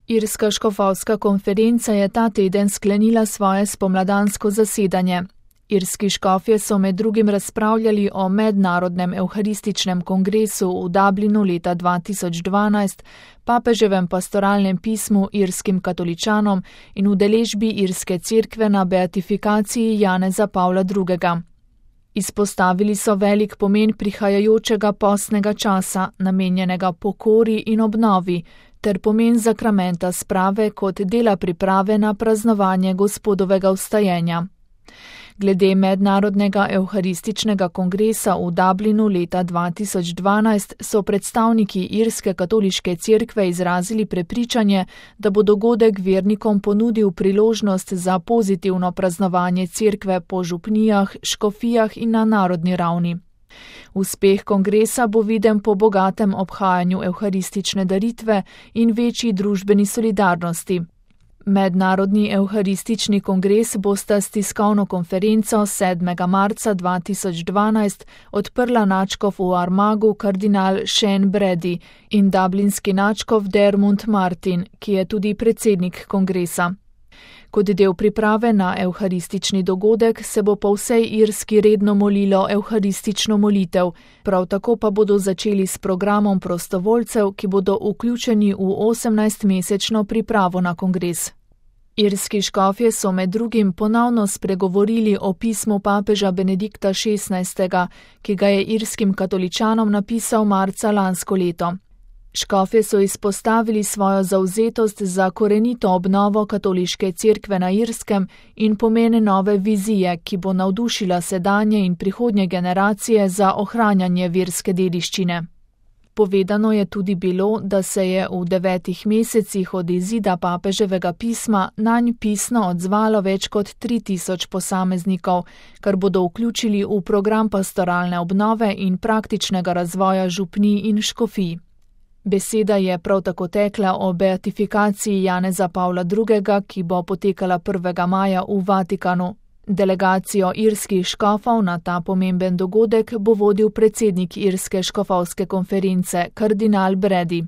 Irska škofovska konferenca je ta teden sklenila svoje spomladansko zasedanje. Irski škofje so med drugim razpravljali o mednarodnem evharističnem kongresu v Dublinu leta 2012, papeževem pastoralnem pismu irskim katoličanom in udeležbi irske cerkve na beatifikaciji Janeza Pavla II. Izpostavili so velik pomen prihajajočega postnega časa, namenjenega pokori in obnovi, ter pomen zakramenta sprave kot dela priprave na praznovanje Gospodovega vstajenja. Glede mednarodnega evharističnega kongresa v Dublinu leta 2012 so predstavniki irske katoliške cerkve izrazili prepričanje, da bo dogodek vernikom ponudil priložnost za pozitivno praznovanje cerkve po župnijah, škofijah in na narodni ravni. Uspeh kongresa bo viden po bogatem obhajanju evharistične daritve in večji družbeni solidarnosti. Mednarodni evharistični kongres bosta s tiskovno konferenco 7. marca 2012 odprla nadškof v Armagu kardinal Shane Brady in dublinski nadškof Dermot Martin, ki je tudi predsednik kongresa. Kot del priprave na evharistični dogodek se bo po vsej Irski redno molilo evharistično molitev, prav tako pa bodo začeli s programom prostovoljcev, ki bodo vključeni v 18-mesečno pripravo na kongres. Irski škofje so med drugim ponovno spregovorili o pismu papeža Benedikta XVI., ki ga je irskim katoličanom napisal marca lansko leto. Škofje so izpostavili svojo zavzetost za korenito obnovo katoliške cerkve na Irskem in pomen nove vizije, ki bo navdušila sedanje in prihodnje generacije za ohranjanje verske dediščine. Povedano je tudi bilo, da se je v 9 mesecih od izida papeževega pisma nanj pisno odzvalo več kot 3000 posameznikov, kar bodo vključili v program pastoralne obnove in praktičnega razvoja župnij in škofij. Beseda je prav tako tekla o beatifikaciji Janeza Pavla II., ki bo potekala 1. maja v Vatikanu. Delegacijo irskih škofov na ta pomemben dogodek bo vodil predsednik Irske škofovske konference, kardinal Brady.